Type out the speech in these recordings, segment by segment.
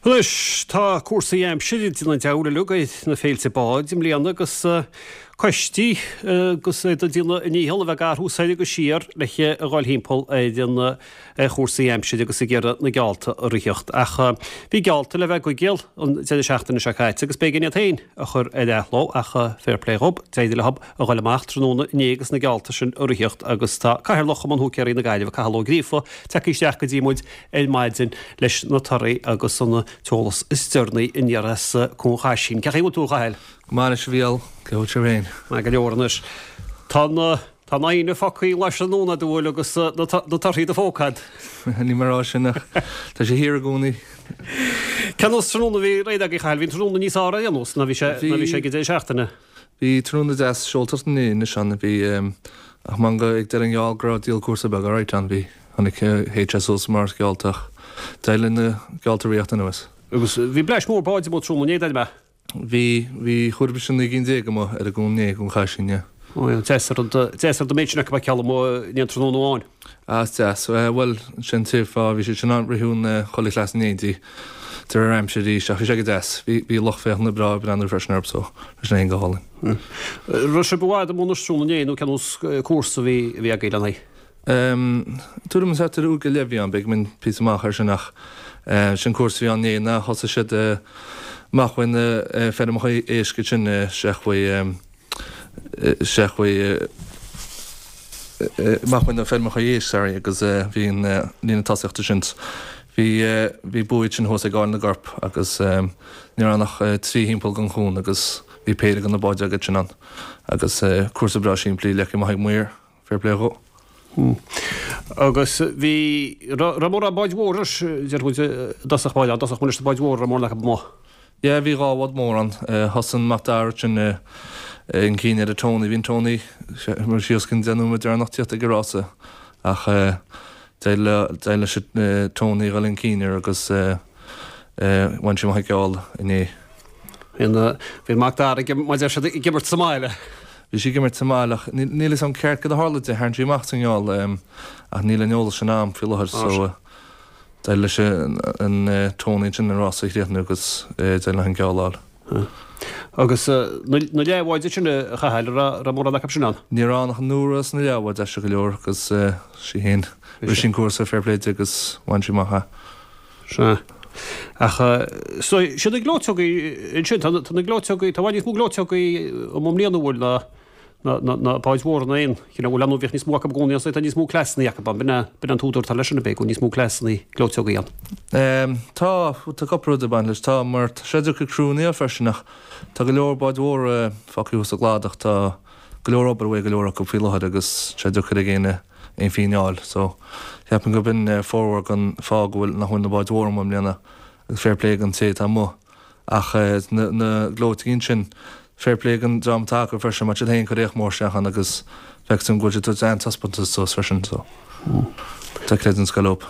Anois, tá cúrsaí aimsire ag déanamh an diabhail uilig ar na féilte báid i mbliana agus coistí agus iad ag déanamh a ndícheall a bheith ag athrú soir agus siar le a dhul thimpeall ar ar chúrsaí aimsire agus ag iarraidh na geallta a ritheacht. Ach bhí geallta le bheith i gCoigéal an deireadh seachtaine seo caite agus b'éigean iad féin a chur ar athló ach fair play dhób, d'éirigh leo a dhul amach tráthnóna inné agus na geallta sin a ritheacht agus tá Cathaoirleach Chumann Húicéirí na Gaillimhe, Cathal Ó Gríofa, tagtha isteach go dtí muid ar maidin leis na torthaí agus an t-eolas is deireanaí aniar as Cuan Chaisín. Cén chaoi a bhfuil tú, a Chathail? Go maith anois, a Mhícheáil. Cé bhfuil sibh féin? Maith go leor anois. Tá na tá na haoinne fágtha leis an nóna dúil agus na torthaí do phóca a'd. Níl mé ag rá sin ach tá sé thiar i gcónaí. Cén nós tráthnóna a bhí réidh agaibh, a Chathail? Bhí an tráthnóna níos fearr ar aon nós ná bhí sé ná bhí sé ag an deireadh seachtaine. Bhí tráthnóna deas seoltacht inné anois ann, bhí ach manga ag deireadh an gheall go raibh díol cúrsa beag alright ann, bhí, chonaic HSO sa mar gheallta ach d'éirigh linn na geallta a ritheacht anuas. Agus bhí bleaist mhór báid amuigh tráthnóna inné, deir mé. Bhí, bhí chuaigh mise 19 gcinn amuigh ar an gcuan inné, Cuan Chaisín, yeah. Ó yeah, deas ar an, deas ar an méid sin acu a fheiceáil amuigh in aon tráthnóna amháin. Ah, is deas. Bhuel, sin an fáth, bhí siad sin ann, ritheadh an chuile chleas in éindí de réir aimsire arís, ach bhí sé go deas. Bhí, bhí lucht féachana breá ag breathnú freisin orthu so, bhí sin féin go hálainn. Raibh sibh i bhfad amuigh anois tráthnóna inné nó cén nós cúrsa a bhí, a bhí agaibh lena aghaidh? Tuairim is thart ar uair go leith a bhí ann, b'fhéidir go mbeinn píosa amach ar sin ach sin cúrsa a bhí ann inné ná thosaigh siad amach uaidh na feirmeacha éisc ansin isteach uaidh isteach uaidh amach uaidh na feirmeacha éisc, sorry, agus bhí an líne tosaíochta sin bhí bhí buaidh sin thuas ag Áill na gCorp agus ní raibh ann ach trí thimpeall den chuan agus bhí péire de na báid agat sin ann agus cúrsa breá simplí leagtha amach ag maor. Fair play dhó. Agus bhí, raibh mórán báid mhóra, deir muid, i dtosach báire, i dtosach muid leis na báid mhóra, raibh mórán acu amuigh. Yeah, bhí dhá bhád mór ann. Thosaigh an Mac Dara sin chun cinn ar an Tony. Bhí an Tony síos go an 10 nóiméad deireanach tíocht ag an rása ach d'éirigh leis an Tony a dhul chun cinn air agus bhain sé amach an geall inné. Bhí an Mac Dara, mar a deir siad, ag imirt sa mbaile. Bhí sí ag imirt sa mbaile ach níl fhios a'm ceart cad a tharla di, tharraing sí amach sa ngeall ach níl an eolas sin a'm faoi láthair so d'éirigh leis an Tony ansin an rása a chríochnú agus d'éirigh leo an geall a fháil. Agus na leathbháid sin a Chathail, an raibh mórán acu sin ann? Ní raibh ann ach an Nóra sna leathbháid aisteach go leor agus sí féin, rith sí an cúrsa fair play di agus bhain sí amach é. Sea. Ach so, siad na gleoiteogaí ansin, tá na gleoiteogaí, tá i bhfad níos mó gleoiteogaí amuigh i mbliana an bhfuil ná ná báid mhóra ná aon chineál, bhuel ar ndóigh bhíodh níos mó acu i gcónaí anso, tá níos mó cleasanna acu ann, b'in é, b'in é an t-údar atá leis sin, ab é, go bhfuil níos mó cleasanna gleoiteogaí ann. Tá, tá cúpla rud ag baint leis, tá, mar tá sé deacair criúnna a fháil freisin ach tá go leor báid mhóra fágtha thuas sa gcladach, tá go leor obair uaidh go leor acu faoi láthair agus tá sé deacair ag éinne aon phingin a fháil so cheapfainn gurb in formhór den fáth go bhfuil nach bhfuil na báid mhóra amuigh i mbliana agus fair play don té atá amuigh ach na na gleoiteogaí ansin fair play don dream atá acu freisin mar tá siad féin ag cur éacht mór isteach ann agus feictear dom go bhfuil siad ag tabhairt an-taispeántas suas freisin so tá creideamh den scoth leo.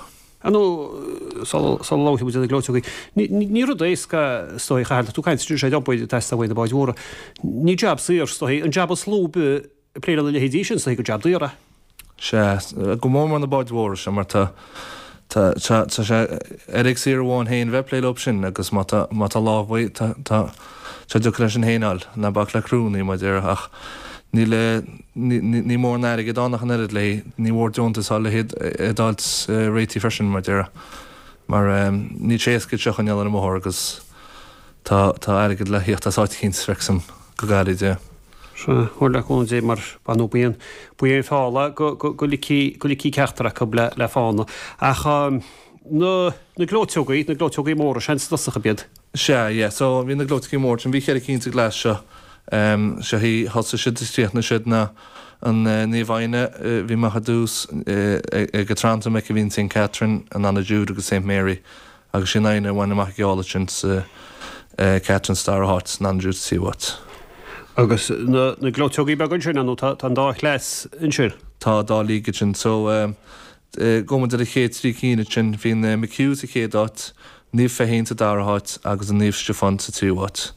Ar ndóigh, sula labhróidh muid ar na gleoiteogaí, ní rud éasca é is dóigh, a Chathail, tá tú ag caint ar obair ag teastáil uaidh na báid mhóra. Ní jab saor, is dóigh, an jab is lú ag plé lena leithéidí sin, is dóigh gur jab daor é. Sea, go mór mór na báid mhóra seo mar tá, tá, tá, tá sé oiread saor amháin féin bheith ag plé leo sin agus má tá, má tá lámh uaidh, tá, tá sé deacair é sin féin a fháil, ná bac le criúnna mar a déarfá ach níl, ní, ní, ní mór an airgead ann ach an oiread léi, ní mhór deontas a fháil le hiad a fháilt réitithe freisin mar a déarfá mar níl sé éasca iad seo a choinneáil ar an mbóthar agus tá, tá airgead le thíocht as áit eicínt, feictear dom, go gairid, yeah. Sea, bhuel le cúnamh Dé mar ba nó ba é an feall é go ligfí go ligfí ceachtar acu le fána. Ach na na gleoiteogaí, na gleoiteogaí móra, seans i dtosach ab iad? Sea, yeah, so bhí na gleoiteogaí móra sin, bhí cheithre cinn sa gcleas seo. Seo hí, thosaigh siad is chríochnaigh siad ná an Naomh Éanna a bhí amach ar dtús, ag a treannta aici bhí an Saint Catherine, an Anna Jude agus Saint Mary. Agus sí an Éanna a bhain amach an geall ansin Saint Catherine sa dara háit, an Anna Jude sa tríú háit. Agus na na gleoiteogaí beaga ansin, ar ndóigh tá tá an dá chleas ansin. Tá dá league ansin. So gabhfaidh muid ar an chéad trí cinn ansin. Bhí an McHugh sa chéad áit, Naomh Feichín sa dara háit agus an Naomh Stiofán sa tríú háit.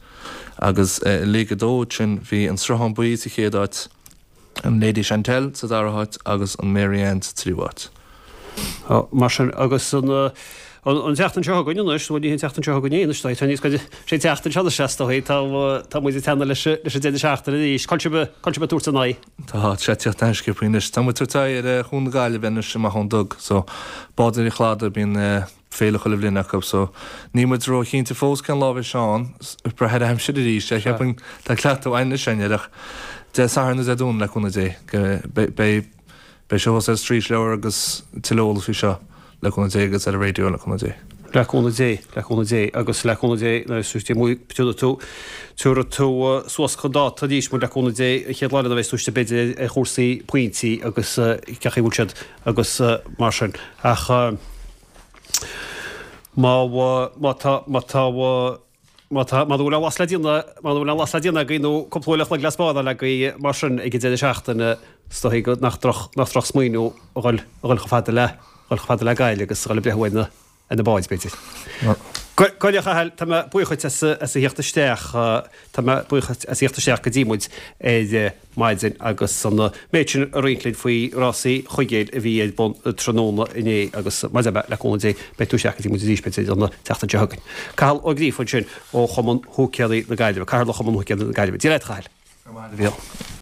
Agus i League 2 ansin bhí an Sruthán Buí sa chéad áit, an Lady Chantelle sa dara háit agus an Mary Ann sa tríú háit. Mar sin, agus an. An tseachtain seo chugainn anois, bhuel ní an tseachtain seo chugainn é anois, tá níos goide, sé an tseachtain seo anois is dóigh, tá, tá muid ag teannadh leis, leis an deireadh seachtaine arís. Cá bhfuil sibh, cá bhfuil sibh ag tabhairt an aghaidh? Tá, tá sé ag tíocht an-sciobtha anois. Tá muid ag tabhairt aghaidh ar Chuan na Gaillimhe anois amach ón dTug, so bádóirí an Chladaigh, bíonn féile chuile bhliain acu, so níl muid ró-chinnte fós cén lá a bheidh sé ann, ag brath ar aimsir arís, cheapfainn, tá cleachtadh againn anois air ach Dé Sathairn nó Dé Domhnaigh le cúnamh Dé, beidh Beidh sé thuas ar Streetleabhar agus tuilleadh eolas faoi seo le cúnamh Dé agus ar an raidió le cúnamh Dé. Le cúnamh Dé, le cúnamh Dé agus le cúnamh Dé nuair a tabharfaidh tú, tabharfaidh tú suas chun dáta arís muid le cúnamh Dé an chéad lá eile nuair a bheas tú istigh b'fhéidir ar chúrsaí pointí agus cén chaoi a bhfuil siad agus mar sin. Ach má, má tá, má tá, Má tá, muna bhfuil aon lasc le déanamh, muna bhfuil aon lasc le déanamh agaibh nó cúpla uair a chloig le spáráil agaibh mar sin ag an deireadh seachtaine, is dóigh go nach droch, nach droch smaoineamh a dhul, a dhul chomh fada le, dhul chomh fada le Gaillimh agus a dhul ag breathnú ar na, ar na báid, b'fhéidir. Go, go a Chathail, tá mé buíoch dhuit as, as a theacht isteach, tá mé buíoch as a theacht isteach go dtí muid ar maidin agus an méid sin a roinnt linn faoi rásaí Chuigéil a bhí ar bun tráthnóna inné agus mar a deir mé, le cúnamh Dé, beidh tú isteach go dtí muid arís b'fhéidir an tseachtain seo chugainn. Cathal Ó Gríofa ansin ó Chumann Húicéirí na Gaillimhe, Cathaoirleach Chumann Húicéirí na Gaillimhe. Dia leat, a Chathail. Go raibh maith agat, a Mhíchíl.